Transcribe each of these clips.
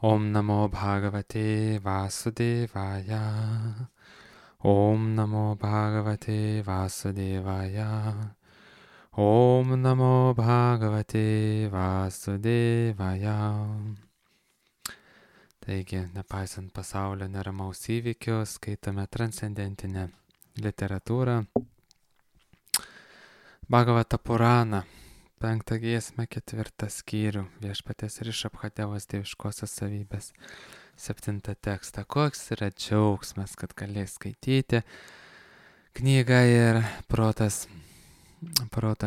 Om Namo Bhagavate Vasudevaya. Om Namo Bhagavate Vasudevaya. Om Namo Bhagavate Vasudevaya. Taigi, nepaisant pasaulio neramaus įvykių, skaitome transcendentinę literatūrą. Bhagavata Purana, 5 giesmę, 4 skyrių, viešpaties Rišabhadevos dieviškosios savybės, 7 tekstą. Koks yra džiaugsmas, kad galės skaityti knygą ir proto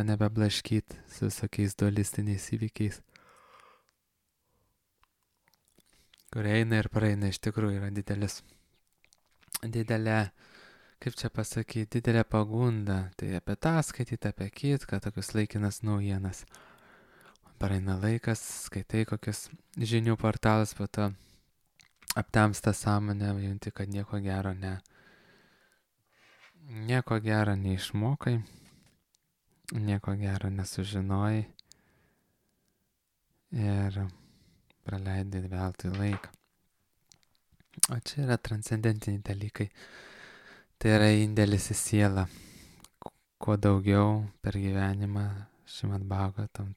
nebeblaškyti su visokiais dualistiniais įvykiais, kurie eina ir praeina. Iš tikrųjų yra didelė, kaip čia pasakyti, didelė pagunda. Tai apie tą skaityti, apie kitką, tokius laikinas naujienas. Praeina laikas, skaitai kokius žinių portalus, po to aptemsta sąmonė, junti, kad nieko gero neišmokai, nieko gero nesužinojai ir praleidai veltui laiką. O čia yra transcendentiniai dalykai. Tai yra indėlis į sielą. Kuo daugiau per gyvenimą Šrimad Bhagavatam,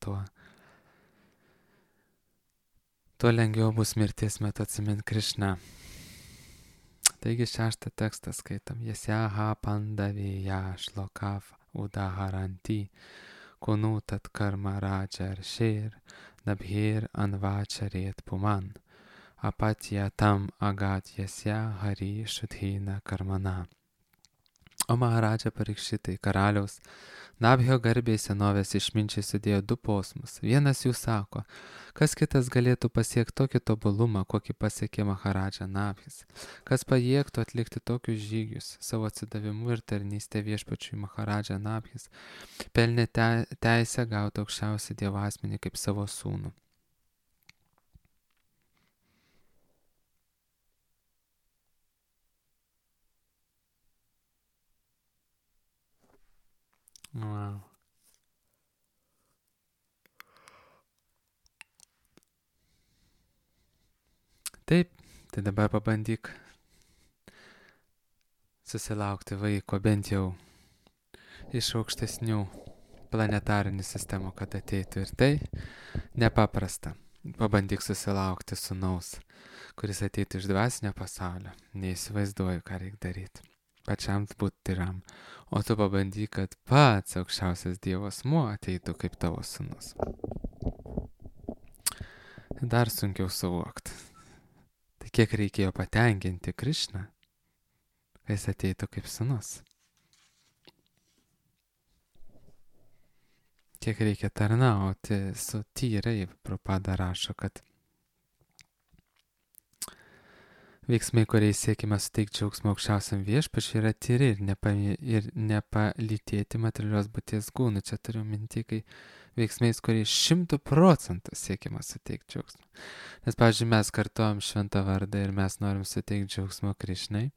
tuo lengviau bus mirties metu atsimint Krišną. Taigi 6 tekstą skaitom. Yasyaha pandavėja shlokav udaharanti kunutat karma raja arshir nabhir anvacharet puman apatya tam agat yasya hari shudhina karmana. O Maharaja Parikšitai, karaliaus Nabhio garbei senovės išminčiai sudėjo 2 posmus. Vienas jų sako, kas kitas galėtų pasiekti tokį tobulumą, kokį pasiekė Maharaja Nabhis, kas pajėgtų atlikti tokius žygius savo atsidavimu ir tarnystė viešpačiui. Maharaja Nabhis pelnė teisę gauti aukščiausią Dievo asmenį kaip savo sūnų. Wow. Taip, tai dabar pabandyk susilaukti vaiko bent jau iš aukštesnių planetarinių sistemų, kad ateitų. Ir tai nepaprasta. Pabandyk susilaukti sūnaus, kuris ateitų iš dvasinio pasaulio. Neįsivaizduoju, ką reikia daryti. Pačiam būti tyram. O tu pabandyk, kad pats aukščiausias Dievo asmuo ateitų kaip tavo sūnus. Dar sunkiau suvokti. Tai kiek reikėjo patenkinti Krišną, kai jis ateitų kaip sūnus. Kiek reikia tarnauti su tyrai. Prabhupada rašo, kad veiksmai, kuriais siekime suteikti džiaugsmą aukščiausiam viešpačiui, yra tyri ir nepalytėti materialios būties gūnų. Čia turiu minti, kai veiksmais, kuriais 100% siekime suteikti džiaugsmą. Nes, pavyzdžiui, mes kartuojam šventą vardą ir mes norim suteikti džiaugsmą Krišnai,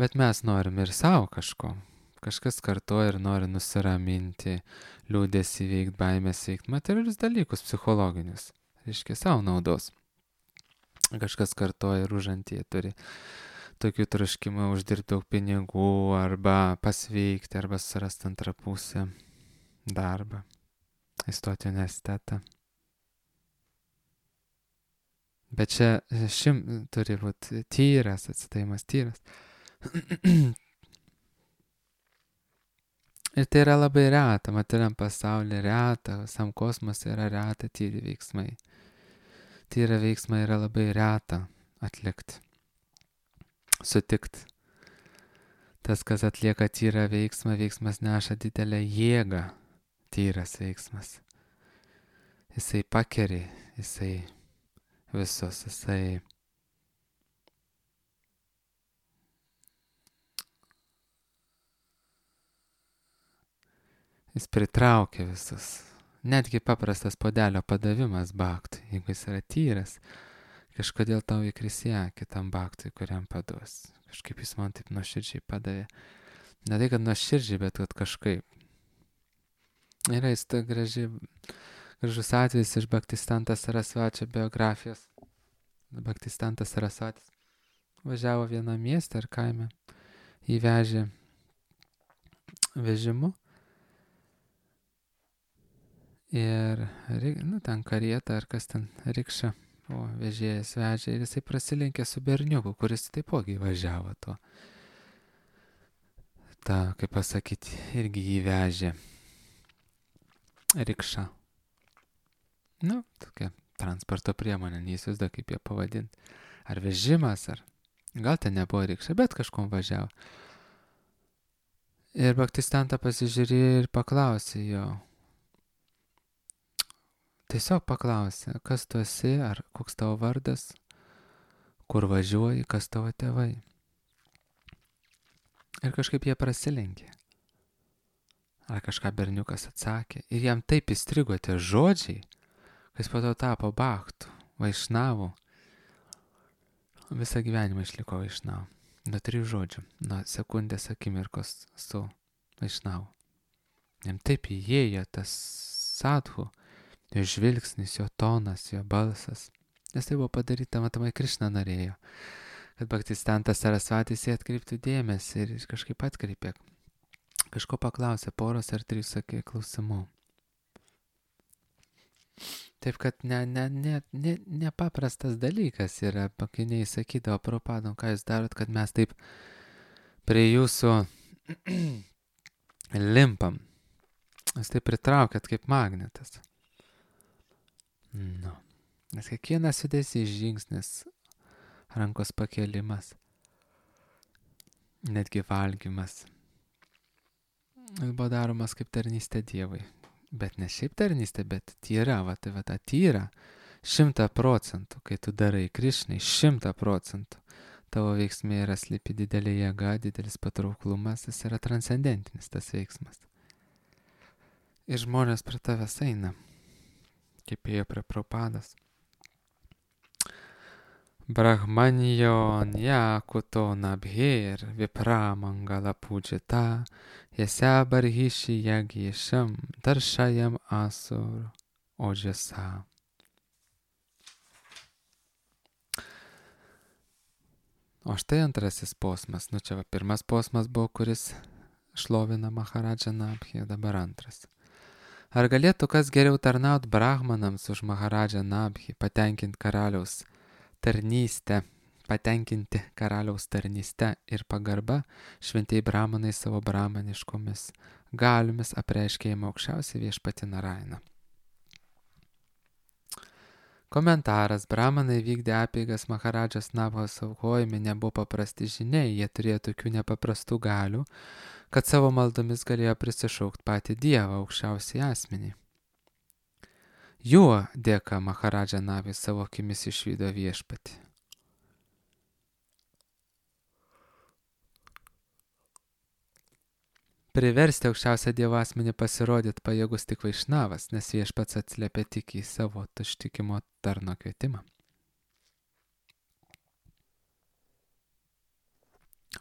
bet mes norim ir savo kažko. Kažkas kartuoja ir nori nusiraminti, liūdėsį veikti, baimės veikti, materialius dalykus psichologinius. Reiškia savo naudos. Kažkas kartoja ir užantyje turi tokių troškimų uždirbti daug pinigų, arba pasveikti, arba surasti antrą pusę darbą, įstoti į universitetą. Bet čia turi būti tyras, atsidavimas tyras. Ir tai yra labai reta, materialiam pasaulyje reta, visam kosmose yra reta tyri veiksmai. Tyra veiksmai yra labai reta atlikti, sutikti. Tas, kas atlieka tyrą veiksmą, veiksmas neša didelę jėgą, tyras veiksmas. Jisai pakeri, jisai visus, jis pritraukia visus. Netgi paprastas puodelio padavimas baktui, jeigu jis yra tyras, kažkodėl tau įkris į akį tam baktui, kuriam paduos. Kažkaip jis man taip nuoširdžiai padavė. Ne tai, kad nuoširdžiai, bet kad kažkaip. Yra jis gražus atvejis iš Bhaktisidanta Sarasvačio biografijos. Bhaktistantas Sarasvatis važiavo vieną miestą ar kaime, įvežė vežimu ir, ten karieta ar kas ten, rikša, o vežėjas vežė ir jisai prasilenkė su berniuku, kuris taipogi važiavo to. Ta, kaip pasakyti, irgi jį vežė rikša. Tokia transporto priemonė, neįsivaizduoju kaip ją pavadinti. Ar vežimas, ar gal ten nebuvo rikša, bet kažkom važiavo. Ir Bhaktistanta pasižiūrėjo ir paklausė jo. Tiesiog paklausė, kas tu esi, ar koks tavo vardas, kur važiuoji, kas tavo tėvai. Ir kažkaip jie prasilenkė. Ar kažką berniukas atsakė. Ir jam taip įstrigo tie žodžiai, kad jis po to tapo bhaktu, vaišnavu. Visą gyvenimą išliko vaišnavu. Nuo 3 žodžių, nuo sekundės akimirkos su vaišnavu. Jam taip įėjo tas sadhu, jo žvilgsnis, jo tonas, jo balsas. Nes tai buvo padaryta, matomai Krišna norėjo, kad Bhaktistantas Sarasvatis jį atkreiptų dėmesį ir kažkaip atkreipė. Kažko paklausė, poros ar 3 sakė klausimų. Taip, kad nepaprastas dalykas yra, pakiniai sakydavo Prabhupadom, ką jūs darot, kad mes taip prie jūsų limpam. Jūs taip pritraukėt kaip magnetas. Nes kiekvienas judesys, žingsnis, rankos pakelimas, netgi valgymas, jis buvo daromas kaip tarnystė Dievui. Bet ne šiaip tarnystė, bet tyra, tai ta tyra, 100%, kai tu darai Krišnai, 100%. Tavo veiksmai yra slypi didelė jėga, didelis patrauklumas, jis yra transcendentinis tas veiksmas. Ir žmonės prie tavęs eina, kaip ėjo prie Prabhupados. Brahmanyo nyakuto nabhir vipramangala pujita yasya barhishi yagyesham darshayam asur ojasa. O štai antrasis posmas. Čia pirmas posmas buvo, kuris šlovina Maharadžą Nabhį, dabar antras. Ar galėtų kas geriau tarnaut brahmanams už Maharadžą Nabhį, patenkinti karaliaus tarnystę ir pagarba, šventieji brahmanai savo brahmaniškomis galiomis apreiškė jam aukščiausią viešpatį Narainą. Komentaras. Brahmanai vykdė apeigas Maharadžos Nabhos aukojime nebuvo paprasti žiniai, jie turėjo tokių nepaprastų galių, kad savo maldomis galėjo prisišaukti patį Dievą, aukščiausiai asmenį. Juo dėka Maharadža Nabhis savo akimis išvydo viešpatį. Priversti aukščiausią Dievo asmenį pasirodyti pajėgus tik vaišnavas, nes viešpats atsiliepė tik į savo ištikimo tarno kvietimą.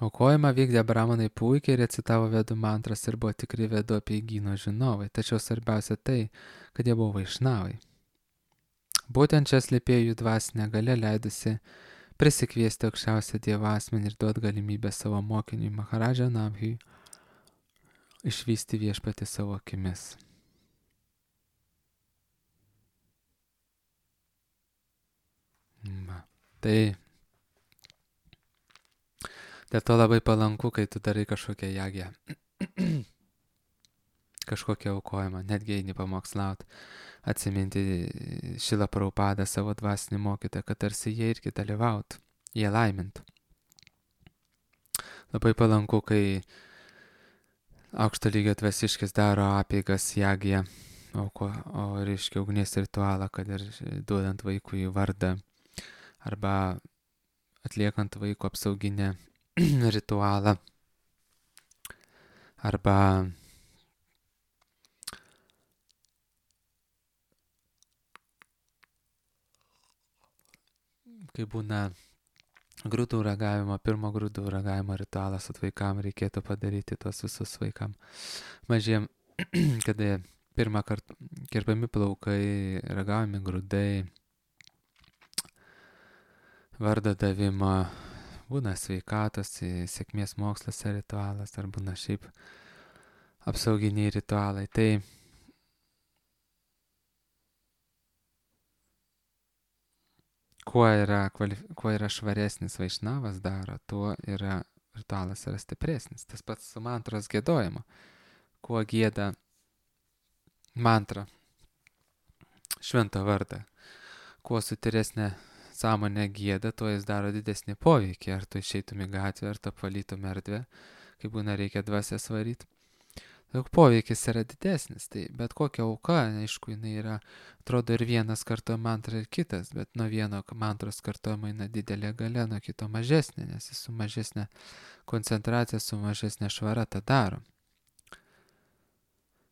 Aukojimą vykdė brahmanai puikiai, recitavo vedų mantras ir buvo tikri vedų apeigyno žinovai, tačiau svarbiausia tai, kad jie buvo vaišnavai. Būtent čia slypėjo jų dvasinė galia, leidusi prisikviesti aukščiausią Dievo asmenį ir duoti galimybę savo mokiniui Maharadža Nabhiui išvysti viešpatį savo akimis. Tai dėl to labai palanku, kai tu darai kažkokią jagę, kažkokią aukojimą, netgi eini pamokslaut, atsiminti Šilą Prabhupadą savo dvasinį mokytoją, kad tarsi jie irgi dalyvautų, jie laimintų. Labai palanku, kai aukšto lygio dvasiškis daro apeigas jagę, o reiškia ugnies ritualą, kad ir duodant vaikui vardą arba atliekant vaiko apsauginę ritualą arba kai būna grūdų ragavimo, pirmo grūdų ragavimo ritualas vaikam, reikėtų padaryti tos visus vaikam mažiem, kada pirmą kartą kirpami plaukai, ragavimi grūdai, vardo davimo, būna sveikatos, sėkmės moksluose ritualas, ar būna šiaip apsauginiai ritualai. Tai kuo yra švaresnis vaišnavas daro, tuo yra ritualas yra stipresnis. Tas pats su mantros giedojimu. Kuo gieda mantra, šventą vardą, kuo sutyresnė sąmonė gieda, tuo jis daro didesnį poveikį. Ar tu išeitum į gatvę, ar tu apvalytum erdvę, kai būna reikia dvasią svaryti. Daug poveikis yra didesnis, tai bet kokia auka, aišku, jinai yra, atrodo, ir vienas kartuoja mantrą, ir kitas, bet nuo vieno mantros kartuojama eina didelė galia, nuo kito mažesnė, nes jis su mažesnė koncentracija, su mažesnė švara tą daro.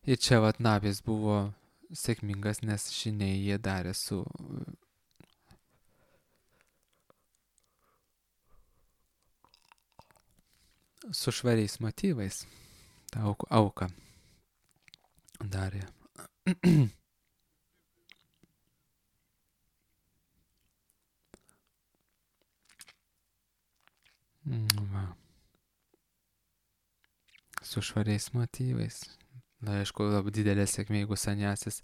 Ir čia vat Nabis buvo sėkmingas, nes žiniai jie darė su švariais motyvais. Ta auka darė. Va. Su švariais motyvais. Na, aišku, labai didelė sėkmė, jeigu sanjasis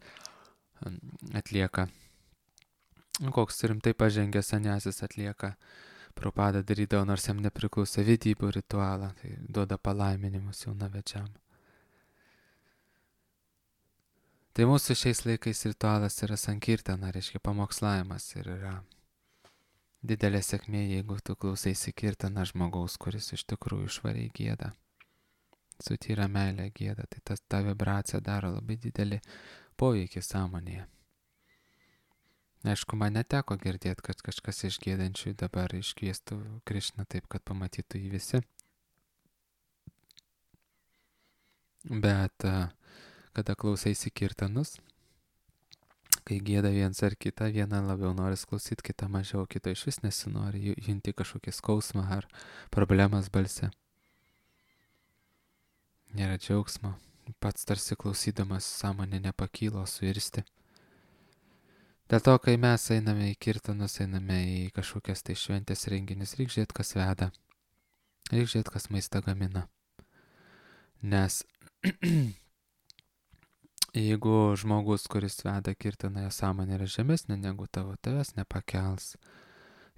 atlieka. Koks rimtai pažengęs sanjasis atlieka. Prabhupada darydavo, nors jam nepriklausė vedybų ritualą, tai duoda palaiminimus jaunavedžiam. Tai mūsų šiais laikais ritualas yra sankirtana, reiškia pamokslavimas, ir yra didelė sėkmė, jeigu tu klausaisi kirtaną žmogaus, kuris iš tikrųjų švariai gieda, su tyra meilė gieda, tai ta vibracija daro labai didelį poveikį sąmonėje. Aišku, man neteko girdėti, kad kažkas iš gėdančių dabar iškviestų Krišną taip, kad pamatytų jį visi. Bet kada klausaisi kirtanus, kai gėda viens ar kitą, vieną labiau nori klausyti, kitą mažiau, kito iš vis nesinori, junti kažkokį skausmą ar problemas balse. Nėra džiaugsmo, pats tarsi klausydamas sąmonė nepakylo, suirsti. Dėl to, kai mes einame į kirtanus, einame į kažkokias tai šventės renginius, reikia žiūrėti, kas veda. Reikia žiūrėti, kas maistą gamina. Nes jeigu žmogus, kuris veda kirtaną, jo sąmonė yra žemesnė negu tavo, tavęs nepakels.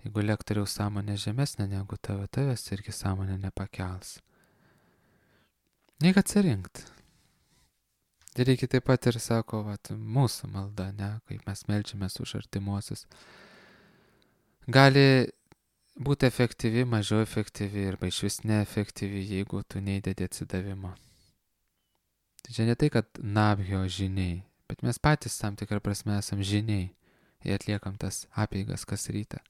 Jeigu lektoriaus sąmonė žemesnė negu tavo, tavęs irgi sąmonė nepakels. Reikia atsirinkti. Reikia taip pat ir, sako, mūsų malda, ne, kaip mes meldžiamės už artimuosius. Gali būti efektyvi, mažiau efektyvi arba iš vis neefektyvi, jeigu tu neįdedi atsidavimo. Tai čia ne tai, kad Nabhio žiniai, bet mes patys tam tikrą prasme esam žiniai ir atliekam tas apeigas kas rytą.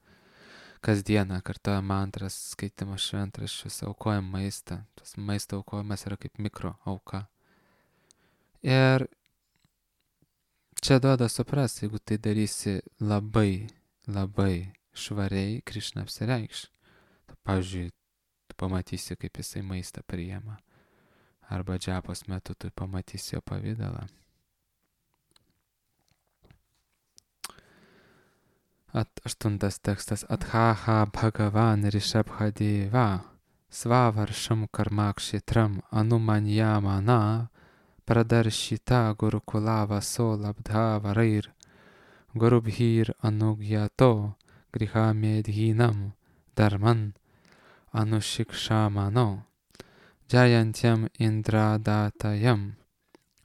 Kasdieną kartuojam mantras, skaitimas šventraščius, aukojam maistą. Tas maisto aukojimas yra kaip mikro auka. Ir čia duoda supras, jeigu tai darysi labai, labai švariai, Krišna apsireikš. Pavyzdžiui, tu pamatysi, kaip jisai maistą priima. Arba džapos metu tu pamatysi jo pavydalą. Aštuntas tekstas. Athaha Bhagavan Rishabhadeva Svavaršam karmakšitram anumanyamana pradarshita gurukulava solabdha varair gurubhir anugyato grihamedhinam dharman anushikshamano jayantyam indradatayam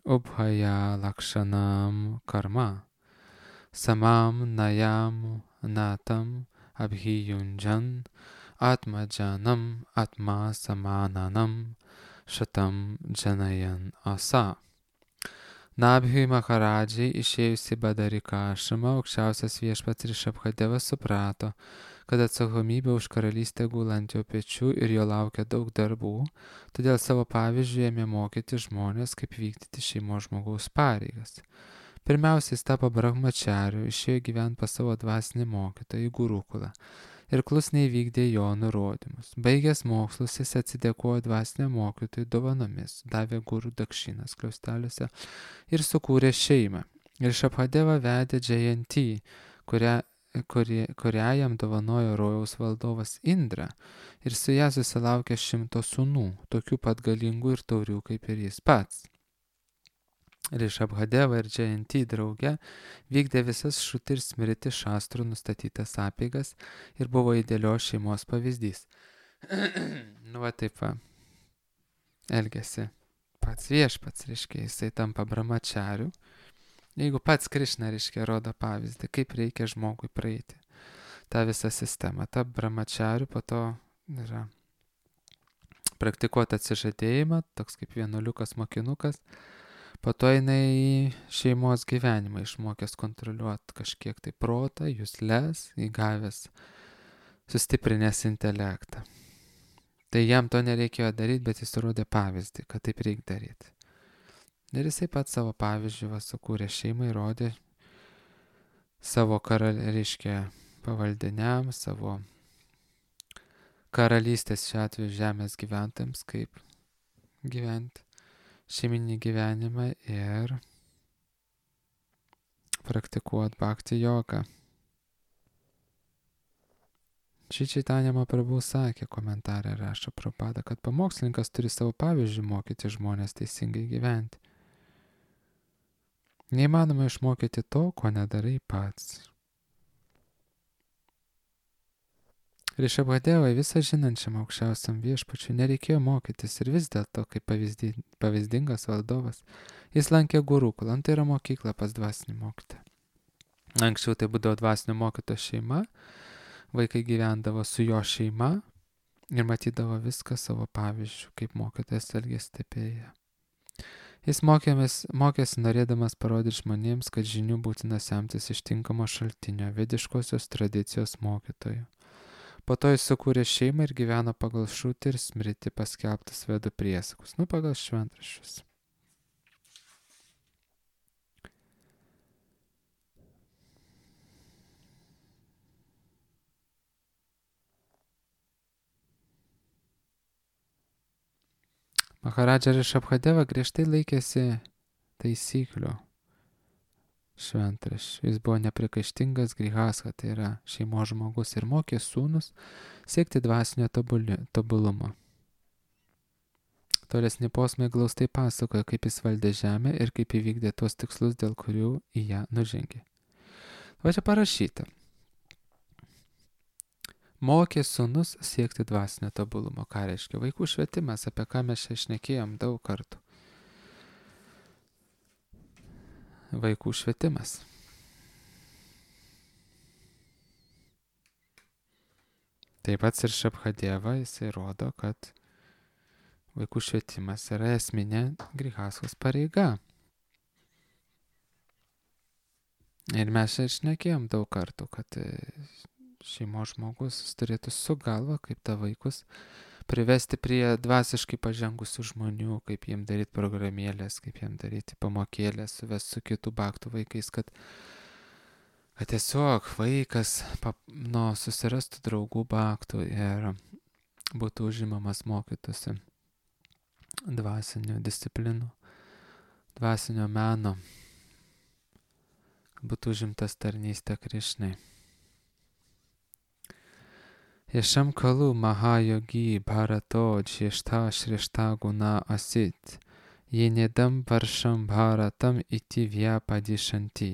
ubhaya lakshanam karma samam nayam natam abhiyunjan atmajanam atma samananam šatam džanajan asa. Nabhiui Maharadžiai išėjusi Badarikašramą, aukščiausias viešpats Rishabhadevas suprato, kad atsakomybė už karalystę gula ant jo pečių ir jo laukia daug darbų, todėl savo pavyzdžiu ėmė mokyti žmonės, kaip vykdyti šeimos žmogaus pareigas. Pirmiausia, jis tapo brahmachariu, išėjo gyventi pas savo dvasinį mokytoją į Gurukulą ir klusniai vykdė jo nurodymus. Baigęs mokslus, jis atsidėkojo dvasiniam mokytojui dovanomis, davė gurų dakšinas kliausteliuose ir sukūrė šeimą. Ir Rishabhadeva vedė Džayantį, kurią kurią jam dovanojo rojaus valdovas Indra, ir su ją susilaukė 100 sūnų, tokių pat galingų ir taurių kaip ir jis pats. Rišabhadeva ir Džayanti drauge vykdė visas Šruti ir Smriti šastrų nustatytas apeigas ir buvo idealios šeimos pavyzdys. Nu va taip va, elgėsi pats viešpats, reiškia, jisai tampa brahmachariu. Jeigu pats Krišna, reiškia, rodo pavyzdį, kaip reikia žmogui praeiti tą visą sistemą. Ta brahmachariu po to yra praktikuoti atsižadėjimą, toks kaip vienuoliukas mokinukas. Po to jinai į šeimos gyvenimą išmokęs kontroliuoti kažkiek tai protą, jusles, įgavęs, sustiprinęs intelektą. Tai jam to nereikėjo daryti, bet jis rodė pavyzdį, kad taip reikia daryti. Ir jisai pats savo pavyzdžių sukūrė šeimą ir rodė savo reiškia pavaldiniams, savo karalystės šiuo atveju žemės gyventojams, kaip gyventi šeiminį gyvenimą ir praktikuoti bhakti jogą. Šri Chaitanya Mahaprabhu sakė, komentarė rašo Prabhupada, kad pamokslininkas turi savo pavyzdžių mokyti žmonės teisingai gyventi. Neįmanoma išmokyti to, ko nedarai pats. Rišabhadevai visą žinančiam aukščiausiam viešpačiui nereikėjo mokytis ir vis dėlto, kaip pavyzdingas valdovas, jis lankė gurukulą, tai yra mokykla pas dvasinį mokytoją. Anksčiau tai būdavo dvasinio mokytojo šeima, vaikai gyvendavo su jo šeima ir matydavo viską savo pavyzdžių, kaip mokytojas elgėsi stebėję. Jis mokėsi norėdamas parodyti žmonėms, kad žinių būtina semtis iš tinkamo šaltinio, vediškosios tradicijos mokytojų. Po to jis sukūrė šeimą ir gyveno pagal Šruti ir Smriti paskelbtas vedų priesakus, pagal šventraščius. Maharadža Rišabhadeva griežtai laikėsi taisyklių šventraščių. Jis buvo neprikaištingas grihastha, tai yra šeimos žmogus, ir mokė sūnus siekti dvasinio tobulumo. Tolesni posmai glaustai pasakoja, kaip jis valdė žemę ir kaip įvykdė tuos tikslus, dėl kurių į ją nužengė. Va čia parašyta. Mokė sūnus siekti dvasinio tobulumo. Ką reiškia? Vaikų švietimas, apie ką mes čia šnekėjom daug kartų. Vaikų švietimas. Taip pat ir Šabhadeva, jisai rodo, kad vaikų švietimas yra esminė grihasthos pareiga. Ir mes čia šnekėjom daug kartų, kad šeimos žmogus turėtų su galva, kaip tą vaikus privesti prie dvasiškai pažengusių žmonių, kaip jiem daryti programėlės, kaip jiem daryti pamokėlės, suvesti su kitų bhaktų vaikais, kad tiesiog vaikas susirastų draugų bhaktų ir būtų užimamas mokytųsi dvasinių disciplinų, dvasinio meno, būtų užimtas tarnystė Krišnai. Yešam kalu mahayogi bharato džiešta šrešta guna asit, jenedam varšam bharatam iti vyapadishanti.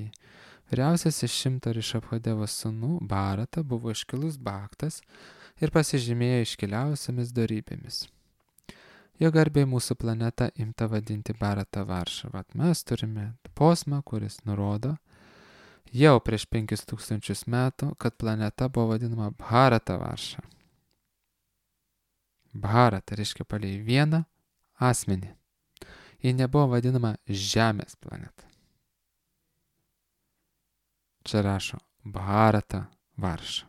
Vyriausias iš 100 Rišabhadevos sūnų Bharata buvo iškilus bhaktas ir pasižymėjo iškiliausiamis dorybėmis. Jo garbei mūsų planeta imta vadinti Bharata Varša. Vat mes turime posmą, kuris nurodo jau prieš 5000 metų, kad planeta buvo vadinama Bharata Varša. Bharata reiškia palei vieną asmenį. Ji nebuvo vadinama Žemės planeta. Čia rašo Bharata Varša.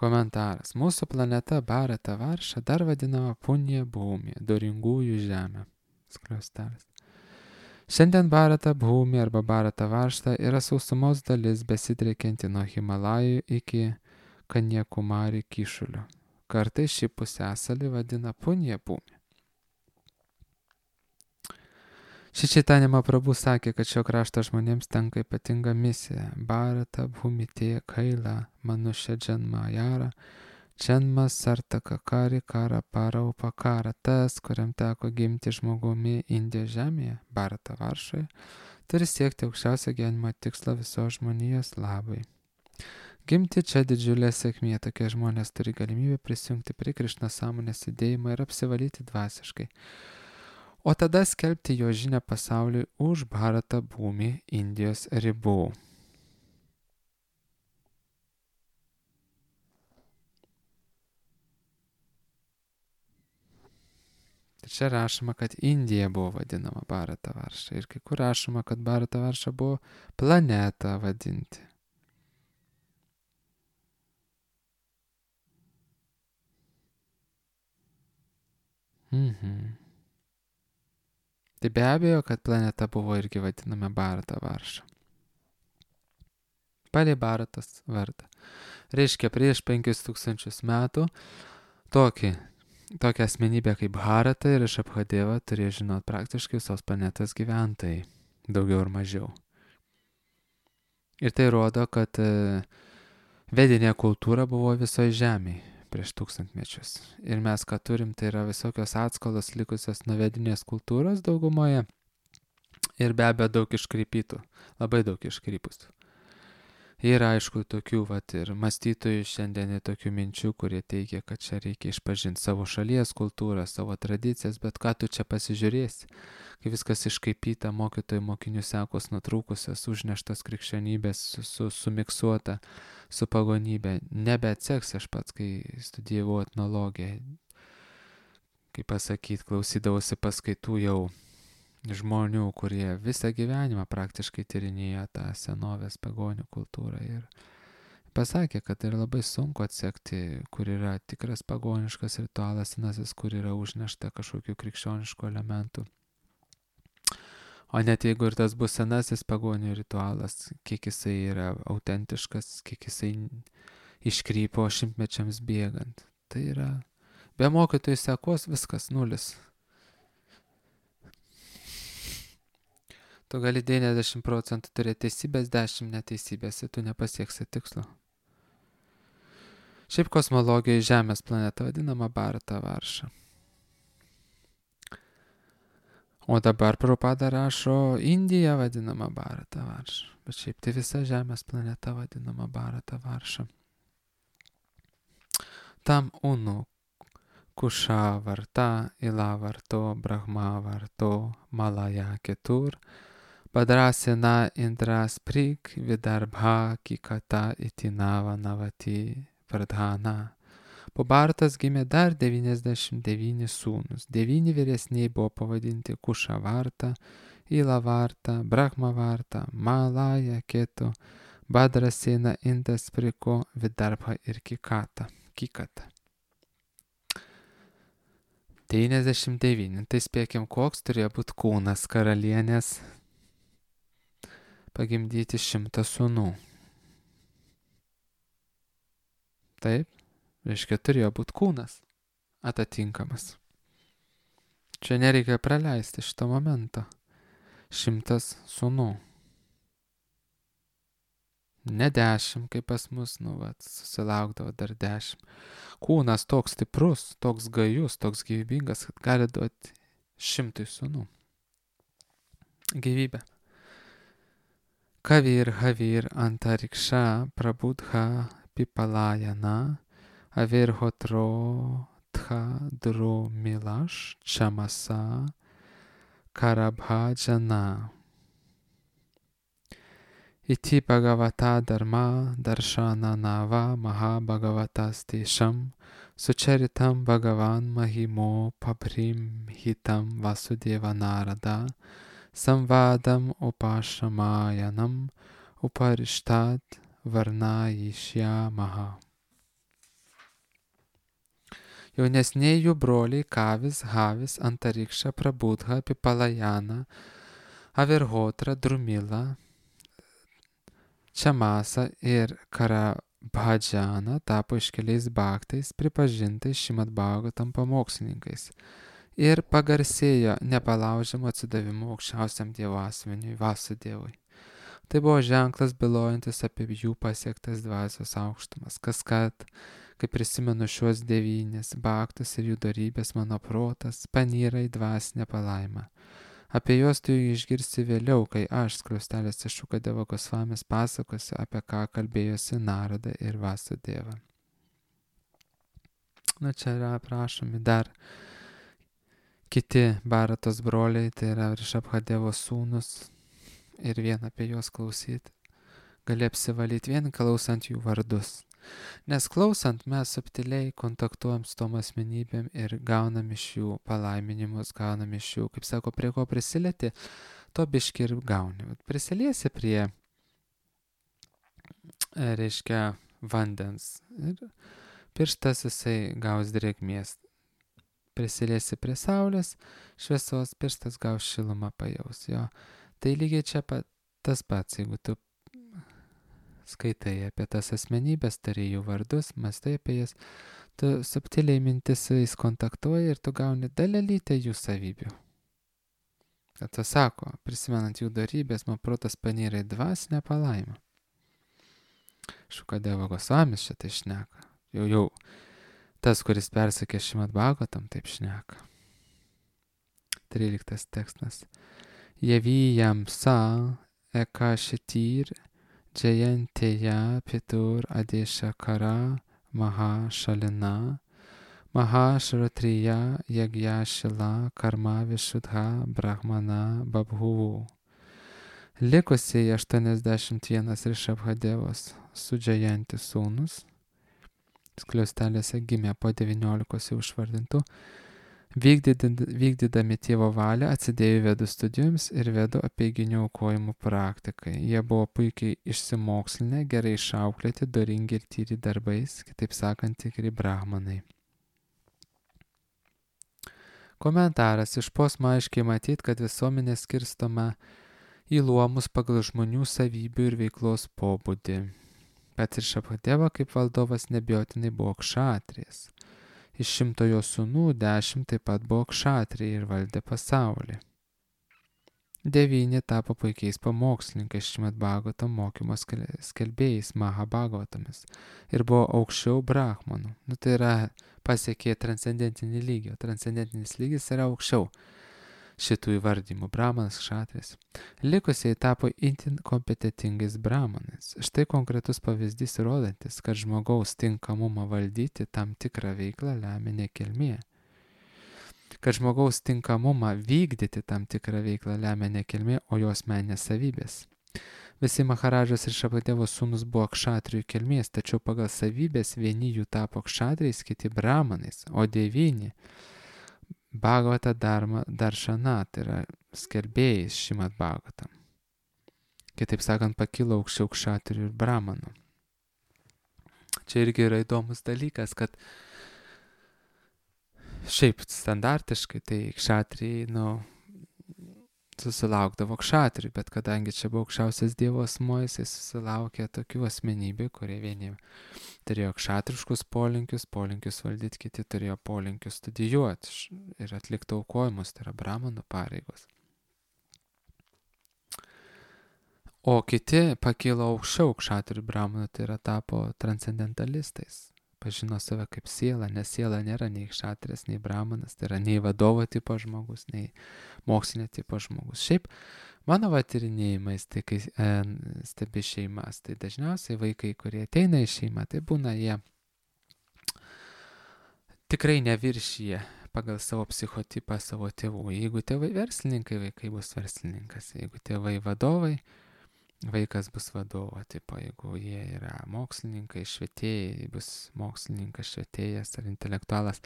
Komentaras. Mūsų planeta Bharata Varša dar vadinama Punja Bhumi, doringųjų žemė. Skliaustelis. Šiandien Bharata Bhumi arba Bharata Varšta yra sausumos dalis besidriekianti nuo Himalajų iki Kanjakumari kyšuliu. Kartais šį pusiasalį vadina Punja Bhumi. Šri Chaitanya Mahaprabhu sakė, kad šio krašto žmonėms tenka ypatinga misija. Bharata Bhumite Kaila Manushya Janma Jara Janma Sartaka Kari Kara Para Upakara. Tas, kuriam teko gimti žmogumi Indijos žemėje, Bharata Varšoje, turi siekti aukščiausią gyvenimo tikslą visos žmonijos labai. Gimti čia didžiulė sėkmė, tokie žmonės turi galimybę prisijungti prie Krišna sąmonės judėjimo ir apsivalyti dvasiškai, o tada skelbti jo žinią pasauliui už Bharata Bhumi Indijos ribų. Čia rašoma, kad Indija buvo vadinama Bharata Varša ir kai kur rašoma, kad Bharata Varša buvo planeta vadinti. Tai be abejo, kad planeta buvo irgi vadinama Bharata Varša. Palei Bharatos vardą. Reiškia, prieš 5000 metų tokią asmenybę kaip Bharata ir Rishabhadeva turėjo žinoti praktiškai visos planetos gyventojai, daugiau ir mažiau. Ir tai rodo, kad vedinė kultūra buvo visoje žemėje prieš 1000 mečius. Ir mes, ką turim, tai yra visokios atskolos likusios nuo vedinės kultūros daugumoje ir be abejo daug iškreipytų, labai daug iškreipustų. Yra aišku tokių ir mąstytojų šiandien tokių minčių, kurie teigia, kad čia reikia išpažinti savo šalies kultūrą, savo tradicijas, bet ką tu čia pasižiūrėsi, kai viskas iškaipyta, mokytojų mokinių sekos nutrūkusios, užneštos krikščionybės, sumiksuota su pagonybė. Nebeatseks aš pats, kai studijavau etnologiją, kaip pasakyti, klausydavausi paskaitų jau žmonių, kurie visą gyvenimą praktiškai tyrinėjo tą senovės pagonių kultūrą ir pasakė, kad yra labai sunku atsekti, kur yra tikras pagoniškas ritualas senasis, kur yra užnešta kažkokių krikščioniškų elementų. O net jeigu ir tas bus senasis pagonių ritualas, kiek jisai yra autentiškas, kiek jisai iškrypo šimtmečiams bėgant. Tai yra be mokytojų sekos viskas nulis. Tu gali 90% turėti teisybės, 10 neteisybės ir tu nepasieksi tikslo. Šiaip kosmologijoje Žemės planeta vadinama Bharata Varša. O dabar Prabhupada rašo Indija vadinama Bharata Varša. Bet šiaip tai visa Žemės planeta vadinama Bharata Varša. Tam Unu Kusha Varta, Ila Varto, Brahma Varto, Malaya Ketur, Padrasena Indras Prik, Vidarbha Kikata Itinava Navati Vardhana. Po Bharatas gimė dar 99 sūnus. 9 vyresniai buvo pavadinti Kusha Varta, Ila Varta, Brahma Varta, Malaya Ketu, Badrasena Indras Priko, Vidarbha ir Kikata. 99. Tai spėkim, koks turėjo būti kūnas karalienės pagimdyti 100 sūnų. Taip, reiškia, turėjo būti kūnas atitinkamas. Čia nereikia praleisti šito momento. 100 sūnų. Ne 10, kaip pas mus, susilaukdavo dar 10. Kūnas toks stiprus, toks gajus, toks gyvybingas, kad gali duoti 100 sūnų. Gyvybę. Kavir Havir Antariksha Prabudha Pipalayana Avirhotro Tha Drumilash Chamasa Karabhajana Iti Bhagavata Dharma Darshana Nava Maha Bhagavatas Tesham Sucharitam Bhagavan Mahimo Pabrim Hitam Vasudeva Narada Samvadam Upashamayanam Uparishtat Varnayishyamaha. Jaunesniai jų broliai Kavis, Havis, Antariksha, Prabudha, Pipalayana, Avirhotra, Drumila, Chamasa ir Bhajana tapo iškeliais bhaktais, pripažintais Šrimad Bhagavatam pamokslininkais ir pagarsėjo nepalaužiamu atsidavimu aukščiausiam Dievo asmeniui Vasudevui. Tai buvo ženklas bylojantis apie jų pasiektas dvasios aukštumas. Kaskart, kai prisimenu šiuos 9 bhaktus ir jų dorybės, mano protas panyra į dvasinę palaimą. Apie juos tu išgirsi vėliau, kai aš, skliaustelėse Šukadeva Gosvamis, pasakosiu, apie ką kalbėjosi Narada ir Vasudeva. Na, čia yra aprašomi dar kiti Bharatos broliai, tai yra Rishabhadevo sūnus, ir vien apie juos klausyti. Gali apsivalyti vien klausant jų vardus. Nes klausant mes subtiliai kontaktuojam su tom asmenybėm ir gaunam iš jų palaiminimus, gaunam iš jų, kaip sako, prie ko prisilieti, to biški ir gauni. Prisiliesi prie, reiškia, vandens ir pirštas jisai gaus drėgmės. Prisiliesi prie saulės, šviesos, pirštas gaus šilumą pajaus. Jo. Tai lygiai čia tas pats, jeigu tu skaitai apie tas asmenybės, tari jų vardus, mastai apie jas, tu subtiliai mintis su jais kontaktuoji ir tu gauni dalelytę jų savybių. Kad tu sako, prisimenant jų dorybės, man protas panyra į dvasinę palaimą. Šukadeva Gosvamis šitai šneka. Jau tas, kuris persakė Šrimad Bhagavatam, taip šneka. 13 tekstas. Javijam sa ekashitir jayanteya pitur adeshakara mahashalina mahashratriya yagyashila karma vishudha brahmana babhuvu. Likusieji 81 Rishabhadevos Sudžajanti sūnus, skliaustelėse gimė po 19 jau išvardintų, vykdydami tėvo valią atsidėjo vedų studijoms ir vedų apeiginių aukojimų praktikai. Jie buvo puikiai išsimokslinę, gerai išauklėti, doringi ir tyri darbais, kitaip sakant, tikri brahmanai. Komentaras. Iš posmo aiškiai matyti, kad visuomenė skirstoma į luomus pagal žmonių savybių ir veiklos pobūdį. Pats Rishabhadeva kaip valdovas neabejotinai buvo kšatrijas. Iš 100 jo sūnų 10 taip pat buvo kšatriai ir valdė pasaulį. 9 tapo puikiais pamokslininkais Šrimad Bhagavatam mokymo skelbėjais Mahabhagavatamis ir buvo aukščiau brahmanų. Tai yra pasiekė transcendentinį lygį, o transcendentinis lygis yra aukščiau šitų įvardymų brahmanas, kšatrijas. Likusiai tapo itin kompetitingais brahmanais. Štai konkretus pavyzdys rodantis, kad žmogaus tinkamumą valdyti tam tikrą veiklą lemia ne kilmė. Kad žmogaus tinkamumą vykdyti tam tikrą veiklą lemia ne kilmė, o jos asmeninės savybės. Visi Maharadžos ir Rishabhadevo sūnus buvo kšatrijų kilmės, tačiau pagal savybės vieni jų tapo kšatrijais, kiti brahmanais, o 9 Bhagavata Darshana, tai yra skelbėjais Šrimad Bhagavatam. Kitaip sakant, pakilo aukščiau kšatrijų ir brahmanų. Čia irgi yra įdomus dalykas, kad šiaip standartiškai tai kšatrijai, susilaukdavo kšatrijų, bet kadangi čia buvo aukščiausias Dievo asmuo, jisai susilaukė tokių asmenybių, kurie vieni turėjo kšatriškus polinkius valdyti, kiti turėjo polinkius studijuoti ir atlikti aukojimus, tai yra brahmanų pareigos. O kiti pakilo aukščiau kšatrijų brahmanų, tai yra tapo transcendentalistais. Pažino save kaip siela, nes siela nėra nei kšatrijas, nei brahmanas, tai yra nei vadovo tipo žmogus, nei mokslinio tipo žmogus. Šiaip, mano tyrinėjimais, tai kai stebi šeimas, tai dažniausiai vaikai, kurie ateina į šeimą, tai būna jie tikrai neviršyje pagal savo psichotipą savo tėvų. Jeigu tėvai verslininkai, vaikai bus verslininkas. Jeigu tėvai vadovai, vaikas bus vadovo tipo. Jeigu jie yra mokslininkai, švietėjai, bus mokslininkas, švietėjas ar intelektualas.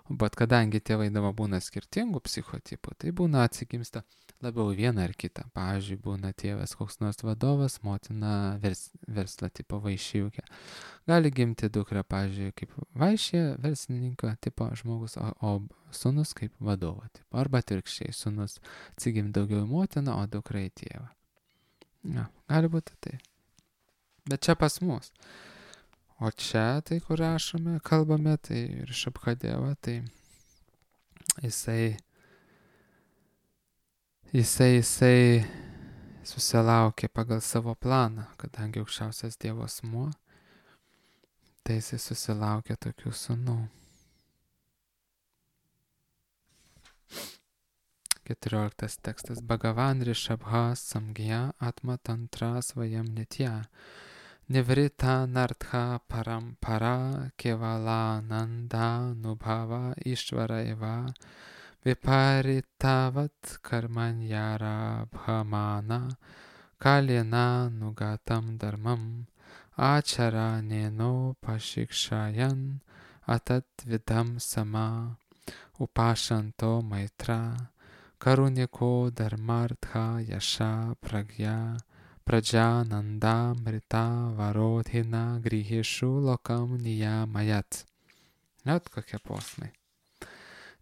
Bet kadangi tėvai dabar būna skirtingų psichotipų, tai būna atsigimsta labiau vieną ar kitą. Pavyzdžiui, būna tėvas koks nors vadovas, motina verslo tipo vaišiukė. Gali gimti dukra, pavyzdžiui, kaip vaišė verslininko tipo žmogus, o sūnus kaip vadovo tipo. Arba atvirkščiai, sūnus atsigimti daugiau į motiną, o dukra į tėvą. Ja, gali būti tai. Bet čia pas mus. O čia, tai kur rašome, kalbame, tai Rišabhadeva, tai jisai susilaukė pagal savo planą, kadangi aukščiausias Dievo asmuo, tai jisai susilaukė tokių sūnų. 14 tekstas. Bhagavan Rishabha samgya atma tantra svayam nitya nivrita nartha parampara kevala nanda nubhava ishvara eva viparitavat karmanyara bhamana kalena nugatam dharmam achara neno pashikshayan atat vidam sama upashanto maitra karuniko dharmartha yasha pragya prajananda mrita varodhina grihishu lokam niyamayat. Net kokie posmai.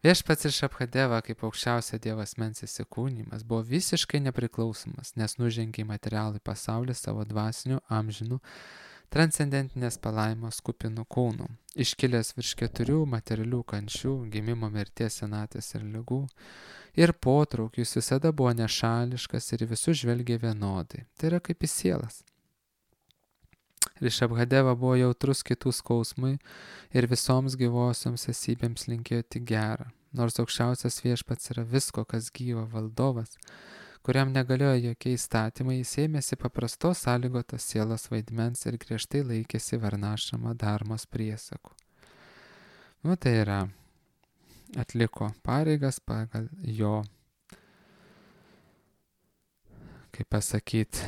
Viešpats Rišabhadeva kaip aukščiausia Dievo asmens įsikūnijimas buvo visiškai nepriklausomas, nes nužengė į materialų pasaulį savo dvasinių, amžinų, transcendentinės palaimos kupinų kūnų, iškilęs virš 4 materialių kančių, gimimo, mirties, senatvės ir ligų, ir potraukių jis visada buvo nešališkas ir visus žvelgė vienodai. Tai yra kaip į sielas. Rišabhadeva buvo jautrus kitų skausmui ir visoms gyvosioms esybėms linkėjo tik gerą. Nors aukščiausias viešpats yra visko, kas gyva, valdovas, kuriam negalioja jokie įstatymai, jis ėmėsi paprastos sąlygotos sielos vaidmens ir griežtai laikėsi varnašrama dharmos priesakų. Tai yra, atliko pareigas pagal jo, kaip pasakyti,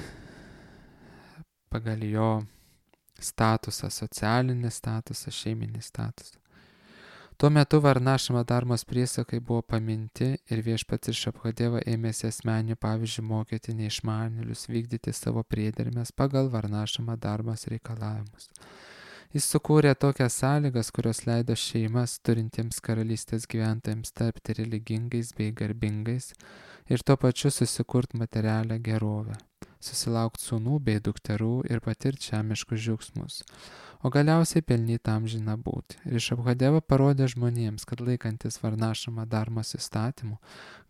pagal jo statusą, socialinį statusą, šeiminį statusą. Tuo metu varnašrama dharmos priesakai buvo paminti ir viešpats Rišabhadeva ėmėsi asmeninių pavyzdžių mokyti neišmanėlius vykdyti savo priedermes pagal varnašrama dharmos reikalavimus. Jis sukūrė tokias sąlygas, kurios leido šeimas turintiems karalystės gyventojams tapti religingais bei garbingais ir tuo pačiu susikurti materialią gerovę, susilaukti sūnų bei dukterų ir patirti žemiškus džiaugsmus, o galiausiai pelnyti amžiną būtį. Rišabhadeva parodė žmonėms, kad laikantis varnašrama dharmos įstatymų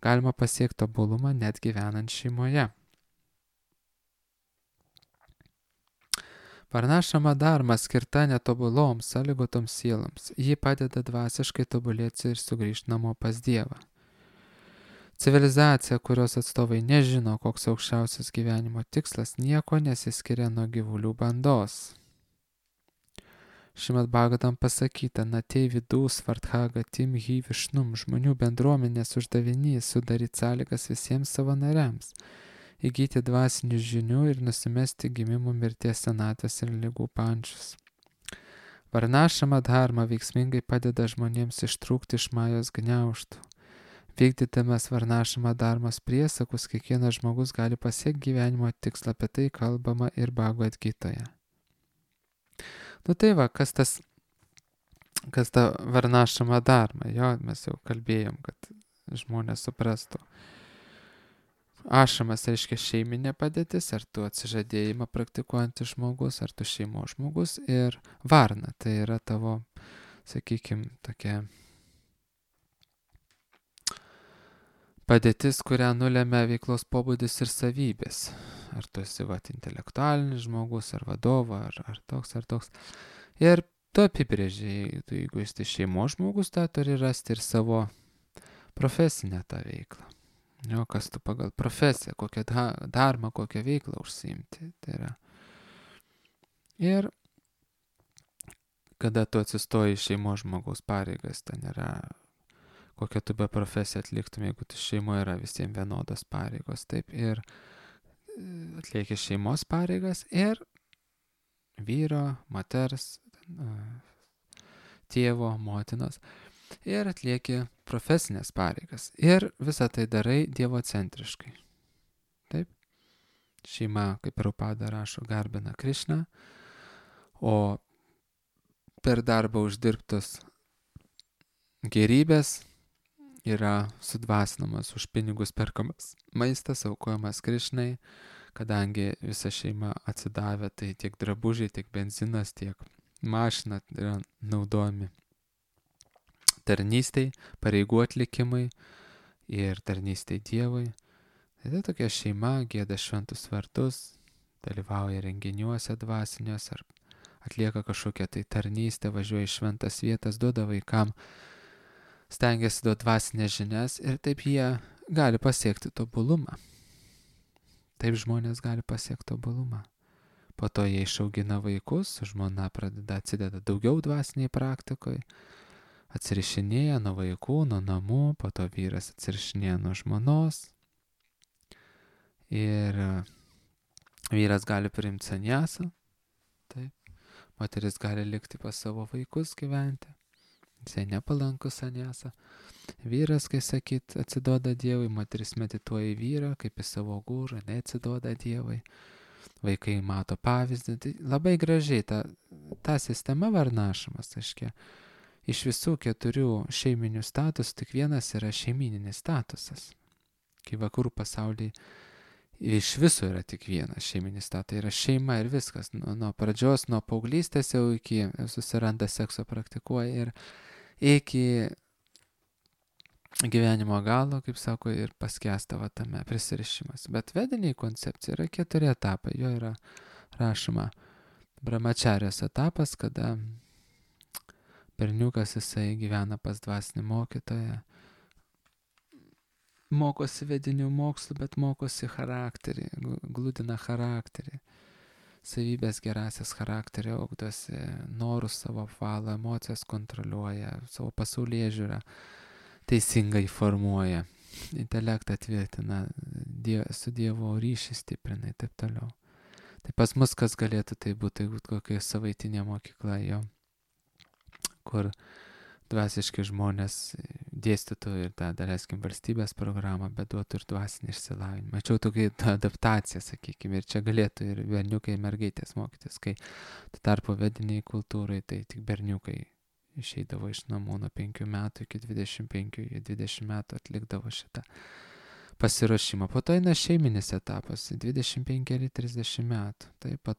galima pasiekti tobulumą net gyvenant šeimoje. Varnašrama dharma skirta netobuloms, sąlygotoms sieloms. Ji padeda dvasiškai tobulėti ir sugrįžti namo pas Dievą. Civilizacija, kurios atstovai nežino, koks aukščiausias gyvenimo tikslas, nieko nesiskiria nuo gyvulių bandos. Šrimad Bhagavatam pasakyta, natei vidų svarthaga tim hi višnum, žmonių bendruomenės uždavinys sudaryti sąlygas visiems savo nariams, įgyti dvasinių žinių ir nusimesti gimimo, mirties, senatvės ir ligų pančius. Varnašrama dharma veiksmingai padeda žmonėms ištrūkti iš majos gniaužtų. Vykdydamas varnašrama dharmos priesakus, kiekvienas žmogus gali pasiekti gyvenimo tikslą, apie tai kalbama ir Bhagavad Gitoje. Tai va, kas ta varnašrama dharma, jo, mes jau kalbėjom, kad žmonės suprastų. Ašramas reiškia šeiminė padėtis, ar tu atsižadėjimą praktikuojantis žmogus, ar tu šeimos žmogus, ir varna, tai yra tavo, sakykime, tokia padėtis, kurią nulemia veiklos pobūdis ir savybės. Ar tu esi intelektualinis žmogus, ar vadovo, ar toks. Ir tu apibrėžiai, jeigu esi šeimos žmogus, tai turi rasti ir savo profesinę tą veiklą. Jo, kas tu pagal profesiją, kokią dharmą, kokią veiklą užsiimti. Tai yra. Ir kada tu atsistoji šeimos žmogaus pareigas, ten yra kokią tu be profesiją atliktum, jeigu tu šeimoje yra visiems vienodos pareigos. Taip, ir atlieki šeimos pareigas ir vyro, moters, tėvo, motinos. Ir atlieki profesinės pareigas. Ir visą tai darai dievocentriškai. Taip. Šeima, kaip Prabhupada rašo, garbina Krišną, o per darbą uždirbtos gerybės yra sudvasinamas, už pinigus perkamas maistas, aukojamas Krišnai, kadangi visa šeima atsidavė, tai tiek drabužiai, tiek benzinas, tiek mašina yra naudojami tarnystei, pareigų atlikimai ir tarnystei Dievui. Tai tokia šeima gieda šventus vardus, dalyvauja renginiuose dvasiniuose ar atlieka kažkokią tai tarnystę, važiuoja į šventas vietas, duoda vaikam, stengiasi duoti dvasinės žinias ir taip jie gali pasiekti tobulumą. Taip žmonės gali pasiekti tobulumą. Po to jie išaugina vaikus, žmona atsideda daugiau dvasiniai praktikoje, atsirišinėja nuo vaikų, nuo namų, po to vyras atsirišinėja nuo žmonos ir vyras gali priimti sanjasą, taip, moteris gali likti pas savo vaikus gyventi, jisai nepalankus sanjasą. Vyras, kai sakyt, atsiduoda Dievui, moteris medituoja į vyrą, kaip į savo gūrą, neatsiduoda Dievui. Vaikai mato pavyzdį, tai labai gražiai ta sistema varnašamas, aiškia. Iš visų 4 šeiminių statusų tik vienas yra šeimininis statusas. Kai vakarų pasaulyje iš viso yra tik vienas šeiminis statusas, tai yra šeima ir viskas. Nuo pradžios, nuo paauglystės jau iki susiranda sekso, praktikuoja ir iki gyvenimo galo, kaip sako, ir paskęsta tame prisirišimas. Bet vediniai koncepcija yra 4 etapai. Jo yra rašoma brahmačarijos etapas, kada berniukas jisai gyvena pas dvasinį mokytoją, mokosi vedinių mokslų, bet mokosi charakterį, gludina charakterį, savybės gerasias charakterį, augdosi, norus savo apvalo, emocijas kontroliuoja, savo pasaulėžiūrą teisingai formuoja, intelektą tvirtina, su Dievo ryšį stiprina ir taip toliau. Tai pas mus kas galėtų tai būti kokia savaitinė mokykla jo, kur dvasiški žmonės dėstytų ir tą, daleiskim, valstybės programą, bet duotų ir dvasinį išsilavinimą. Mačiau tokia adaptacija, sakykime, ir čia galėtų ir berniukai, ir mergaitės mokytis, kai tarpo vediniai kultūrai, tai tik berniukai išeidavo iš namų nuo 5 metų iki 25, 20 metų atlikdavo šitą pasiruošimą. Po to eina šeiminis etapas, 25-30 metų. Tai po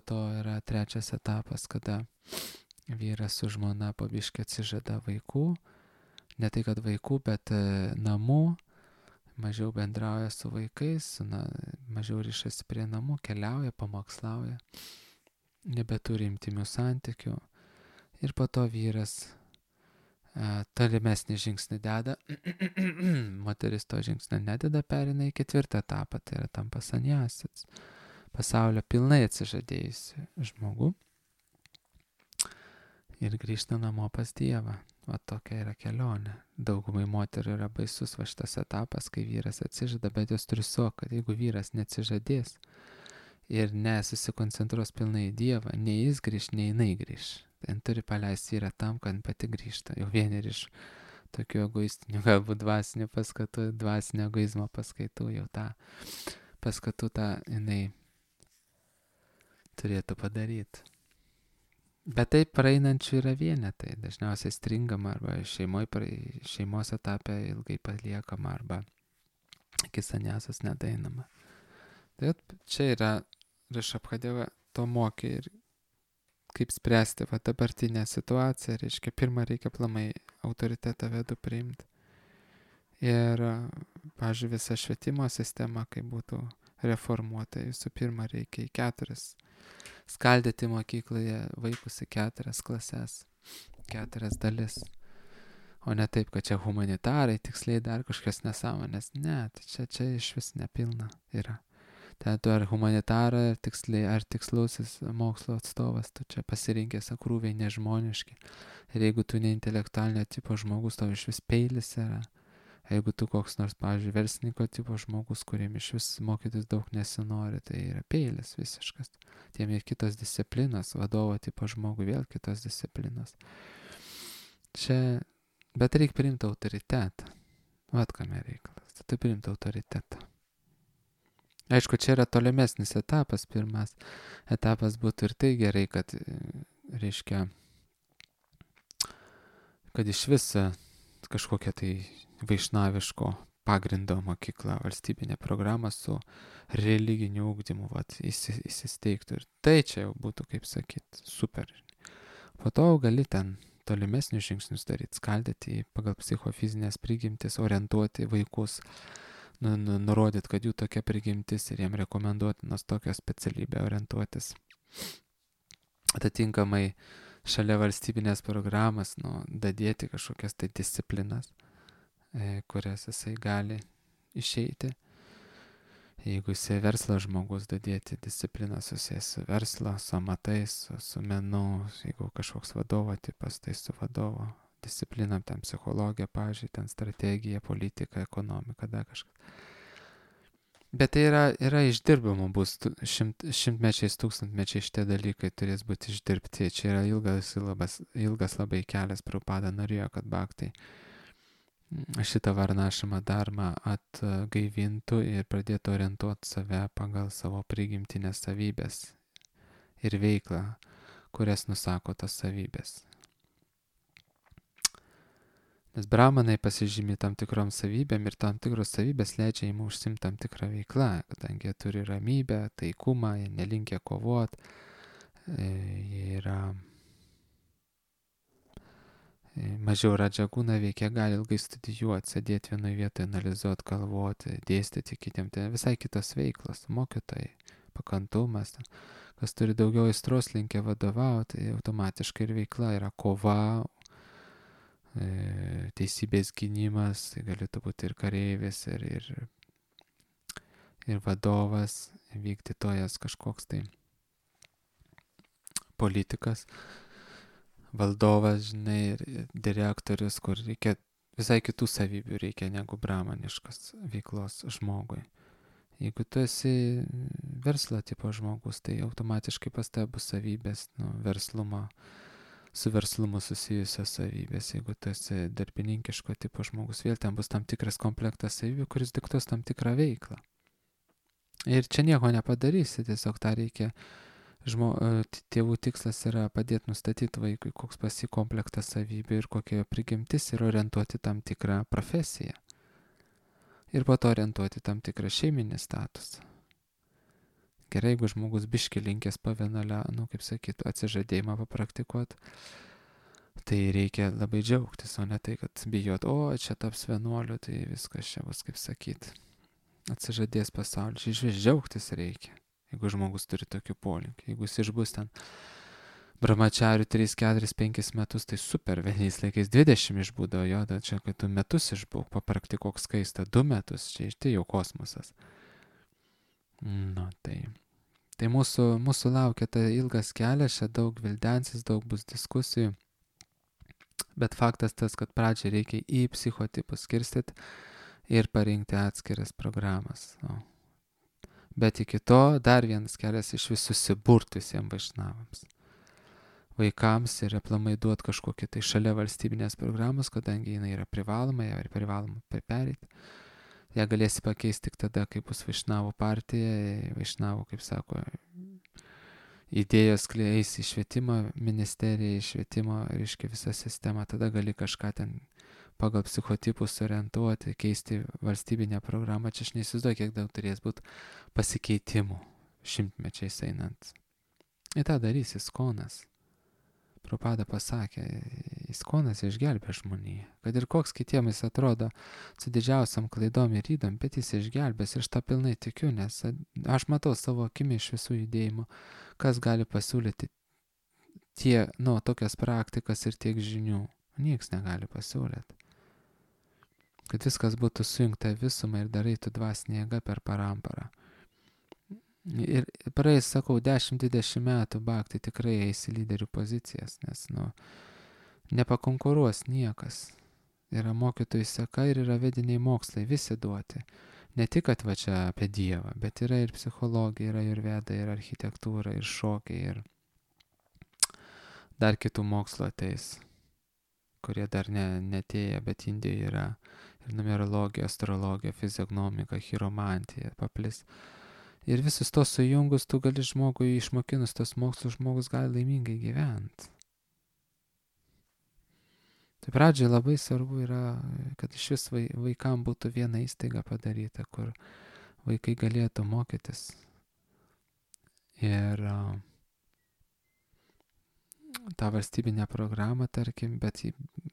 to yra 3 etapas, kada vyras su žmona po biškį atsižada vaikų, ne tai kad vaikų, bet namų, mažiau bendrauja su vaikais, mažiau ryšasi prie namų, keliauja, pamokslauja, nebeturi intimių santykių ir po to vyras tolimesnį žingsnį deda, moteris to žingsnio nededa, perina į 4 etapą, tai yra tampa sanjasis, pasaulio pilnai atsižadėjusi žmogų ir grįžta namo pas Dievą. O tokia yra kelionė. Daugumai moterų yra baisus šitas etapas, kai vyras atsižada, bet jos turi suvokti, kad jeigu vyras neatsižadės ir nesusikoncentruos pilnai į Dievą, nei jis grįž, nei jinai grįž. Ten turi paleisti vyrą tam, kad pati grįžta. Jau vieni iš tokių egoistinių, galbūt dvasinių paskatų, dvasinio egoizmo paskaitų, jau tą paskatų jinai turėtų padaryti. Bet taip praeinančių yra vienetai, dažniausiai stringama arba šeimos etape ilgai paliekama arba iki sanjasos nedainama. Tai čia yra Rišabhadeva to mokė ir kaip spręsti dabartinę situaciją, reiškia, pirmą reikia aplamai autoritetą vedų priimti. Ir, pavyzdžiui, visa švietimo sistema, kaip būtų reformuota, visų pirma reikia į 4 skaldyti mokykloje vaikus į 4 klases, 4 dalis. O ne taip, kad čia humanitarai, tiksliai dar kažkas nesąmonės. Ne, tai čia iš vis nepilna yra. Tai tu ar humanitarai, ar tikslusis mokslo atstovas, tu čia pasirinkęs krūviai nežmoniški. Ir jeigu tu ne intelektualinio tipo žmogus, tau iš vis peilis yra. Jeigu tu koks nors, pavyzdžiui, verslininko tipo žmogus, kuriem iš vis mokytis daug nesinori, tai yra peilis visiškas. Tiem ir kitos disciplinos, vadovo tipo žmogui vėl kitos disciplinos. Čia, bet reikia priimti autoritetą. Vat kame reikalas, tu priimti autoritetą. Aišku, čia yra tolimesnis etapas, pirmas etapas būtų ir tai gerai, kad, reiškia, kad iš viso kažkokia tai vaišnaviško pagrindo mokykla, valstybinė programa su religiniu ugdymu įsisteigtų. Ir tai čia jau būtų, kaip sakyt, super. Po to gali ten tolimesnius žingsnius daryti, skaldyti pagal psichofizinės prigimtis, orientuoti vaikus, nurodyti, kad jų tokia prigimtis ir jiem rekomenduotinos tokią specialybę orientuotis. Atitinkamai šalia valstybinės programas, dadėti kažkokias tai disciplinas, kurias jisai gali išeiti. Jeigu jisai verslo žmogus, dadėti discipliną susijęs su verslo, su amatais, su menu, jeigu kažkoks vadovo tipas, tai su vadovo disciplinam, ten psichologija, pavyzdžiui, ten strategija, politika, ekonomika, dar kažkas. Bet tai yra išdirbama, bus šimtmečiais, tūkstantmečiais šitie dalykai turės būti išdirbti. Čia yra ilgas labai kelias. Prabhupada norėjo, kad bhaktai šitą varnašamą dharmą atgaivintų ir pradėtų orientuoti save pagal savo prigimtinės savybės ir veiklą, kurias nusako tas savybės. Nes brahmanai pasižymi tam tikrom savybėm ir tam tikros savybės leidžia jiem užsimti tam tikrą veiklą, kadangi jie turi ramybę, taikumą, jie nelinkia kovot, jie yra mažiau radžagūna veikia, gali ilgai studijuoti, sėdėti vienoje vietoje, analizuoti, galvoti, dėstyti kitiem, tai visai kitos veiklos, mokytojai, pakantumas, kas turi daugiau aistros, linkia vadovauti, tai automatiškai ir veikla yra kova, teisybės gynimas, tai galėtų būti ir kareivis, ir vadovas, vykdytojas kažkoks tai politikas, valdovas, žinai, ir direktorius, kur reikia visai kitų savybių reikia negu brahmaniškas veiklos žmogui. Jeigu tu esi verslo tipo žmogus, tai automatiškai pas tave bus savybės, verslumo, su verslumu susijusios savybės. Jeigu tu esi darbininkiško tipo žmogus, vėl ten bus tam tikras komplektas savybių, kuris diktuos tam tikrą veiklą. Ir čia nieko nepadarysi, tiesiog tą reikia. Tėvų tikslas yra padėti nustatyti vaikui, koks pas jį komplektas savybių ir kokia jo prigimtis ir orientuoti tam tikrą profesiją. Ir po to orientuoti tam tikrą šeiminį statusą. Gerai, jeigu žmogus biški linkęs pavienalę, kaip sakyt, atsižadėjimą papraktikuoti, tai reikia labai džiaugtis, o ne tai, kad bijot, čia taps vienuoliu, tai viskas čia bus, kaip sakyt, atsižadės pasaulį. Čia iš vis džiaugtis reikia, jeigu žmogus turi tokių polinkį. Jeigu jis išbus ten brahmachariu 3, 4, 5 metus, tai super, vienais laikais 20 išbūdo, jo, čia, kad tu metus išbūk, papraktikuok skaistą, 2 metus, čia jau kosmosas. Tai mūsų laukia tai ilgas kelias, čia daug vildensis, daug bus diskusijų, bet faktas tas, kad pradžiai reikia į psichotipus skirstyti ir parinkti atskiras programas. Bet iki to dar vienas kelias iš vis susiburti visiems vaišnavams. Vaikams ir aplamai duoti kažkokį tai šalia valstybinės programos, kadangi jinai yra privaloma, ją ir privaloma perėti. Ją galėsi pakeisti tik tada, kai bus vaišnavų partija, vaišnavų, kaip sako, idėjos eis į švietimo ministeriją, į švietimo, reiškia, visą sistemą, tada gali kažką ten pagal psichotipus orientuoti, keisti valstybinę programą. Čia aš neįsivaizduoju, kiek daug turės būti pasikeitimų šimtmečiais einant. Ir tą darys Iskonas. Prabhupada pasakė, Iskonas išgelbė žmoniją. Kad ir koks kitiems jis atrodo su didžiausiam klaidom ir ydom, bet jis išgelbės ir aš tą pilnai tikiu, nes aš matau savo akimi iš visų judėjimų, kas gali pasiūlyti tokias praktikas ir tiek žinių. Niekas negali pasiūlyti. Kad viskas būtų sujungta visumą ir darytų dvasinė jėga per paramparą. Ir praeis, sakau, 10-20 metų bhakti tikrai eis į lyderių pozicijas, nes, nepakonkuruos niekas. Yra mokytojų seka ir yra vediniai mokslai, visi duoti. Ne tik, kad va čia apie Dievą, bet yra ir psichologija, yra ir veda, ir architektūra, ir šokiai, ir dar kitų mokslo ateis, kurie dar netėja, bet Indijoje yra ir numerologija, astrologija, fizionomika, chiromantija, paplis. Ir visus tos sujungus, tu gali žmogui išmokinus tos mokslus, žmogus gali laimingai gyventi. Tai pradžiai labai svarbu yra, kad iš vis vaikam būtų viena įstaiga padaryta, kur vaikai galėtų mokytis. Ir tą valstybinę programą, tarkim, bet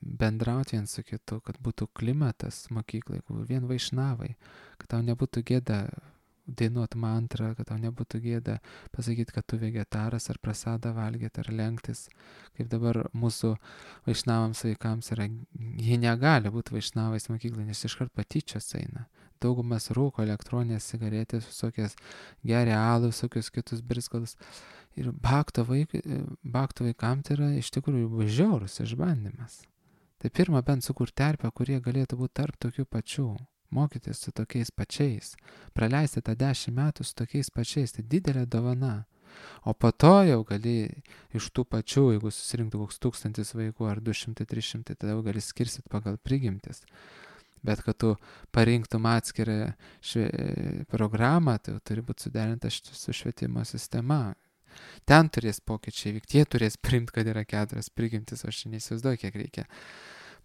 bendrauti vien su kitu, kad būtų klimatas mokyklai, kur vien vaišnavai, kad tau nebūtų gėda dainuot mantrą, kad tau nebūtų gėda pasakyti, kad tu vegetaras ar prasadą valgyti ar lenktis, kaip dabar mūsų vaišnavams vaikams yra, jie negali būti vaišnavais mokyklai, nes iškart patyčios eina. Daugumas rūko elektroninės cigaretės, visokias geria alų, visokius kitus briskalus. Ir bakto vaikam tai yra iš tikrųjų žiaurus išbandymas. Tai pirma bent sukur terpę, kurie galėtų būti tarp tokių pačių. Mokytis su tokiais pačiais, praleisti tą 10 metų su tokiais pačiais, tai didelė dovana. O po to jau gali iš tų pačių, jeigu susirinktų koks 1000 vaikų ar 200-300, tada jau gali skirsit pagal prigimtis. Bet kad tu parinktum atskirą programą, tai turi būti suderinta su švietimo sistema. Ten turės pokyčiai vykti, jie turės priimti, kad yra 4 prigimtis, o aš neįsivaizduoju, kiek reikia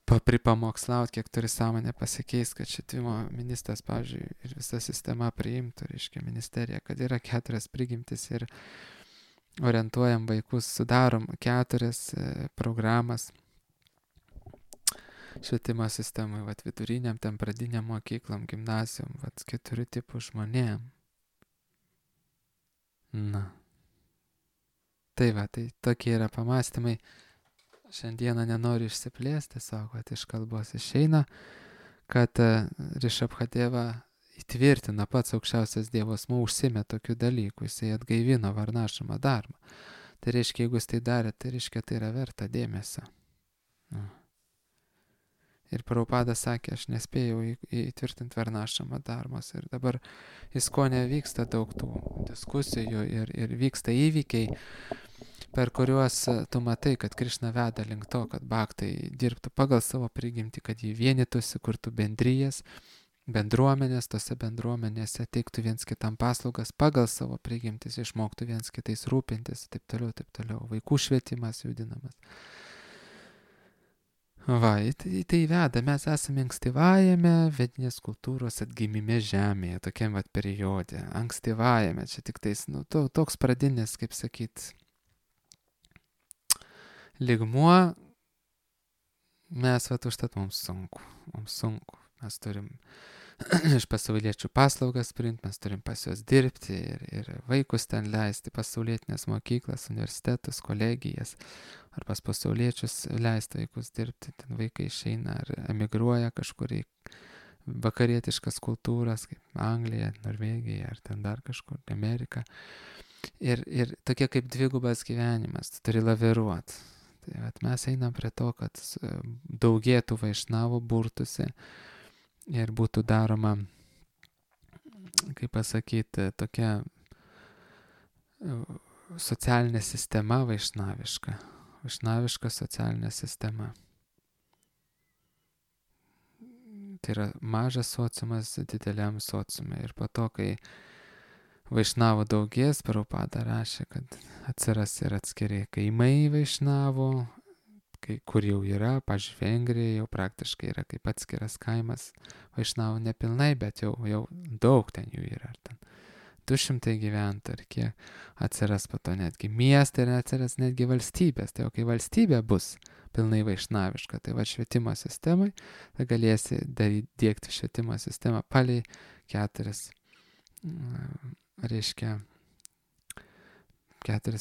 pripamokslauti, kiek turi sąmonę pasikeis, kad švietimo ministras, pavyzdžiui, ir visa sistema priimtų, reiškia ministerija, kad yra 4 prigimtis ir orientuojam vaikus, sudarom 4 programas švietimo sistemai, viduriniam, ten pradiniam mokyklom, gimnazijom, 4 tipų žmonėm. Na. Tai tokie yra pamastymai. Šiandieną nenoriu išsiplėsti, tiesiog, kad iš kalbos išeina, kad Rišabhadeva įtvirtina pats aukščiausias Dievas, užsimė tokių dalykų, jisai atgaivino varnašamą darbą. Tai reiškia, jeigu jis tai darė, tai reiškia, tai yra verta dėmesio. Ir Prabhupada sakė, aš nespėjau įtvirtinti varnašamą darbos. Ir dabar Iskone vyksta daug tų diskusijų ir vyksta įvykiai, per kuriuos tu matai, kad Krišna veda link to, kad bhaktai dirbtų pagal savo prigimtį, kad jį vienytųsi, kurtų bendrijas, bendruomenės, tose bendruomenėse teiktų viens kitam paslaugas pagal savo prigimtis, išmoktų viens kitais rūpintis, taip toliau, vaikų švietimas judinamas. Tai veda, mes esame ankstyvajame vedinės kultūros atgimime žemėje, tokiam periode, ankstyvajame, čia tik tais, toks pradinis, kaip sakyt, lygmuo, mes užtat mums sunku, mes turim iš pasauliečių paslaugas priimti, mes turim pas juos dirbti ir vaikus ten leisti, pasaulietinės mokyklas, universitetus, kolegijas, ar pas pasauliečius leisti vaikus dirbti, ten vaikai išeina ar emigruoja kažkur į vakarietiškas kultūras, kaip Anglija, Norvegija, ar ten dar kažkur, Amerika. Ir tokie kaip dvigubas gyvenimas, tu turi laviruoti. Tai mes einam prie to, kad daugėtų vaišnavų, burtųsi ir būtų daroma, kaip pasakyti, tokia socialinė sistema vaišnaviška socialinė sistema. Tai yra mažas sociumas dideliam sociumui. Ir po to, kai vaišnavų daugės, Prabhupada rašė, kad atsiras ir atskiri kaimai vaišnavų, kur jau yra, pavyzdžiui, Vengrija jau praktiškai yra kaip atskiras kaimas vaišnavų nepilnai, bet jau daug ten jų yra. Ten 200 gyventojų, ir kiek atsiras po to netgi miestai ir atsiras netgi valstybės. Tai jau kai valstybė bus pilnai vaišnaviška, tai švietimo sistemai, tai galėsi diegti švietimo sistemą palei 4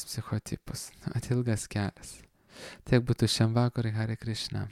psichotipus. Atilgas kelias. Tiek būtų šiam vakarui, Hare Krishna.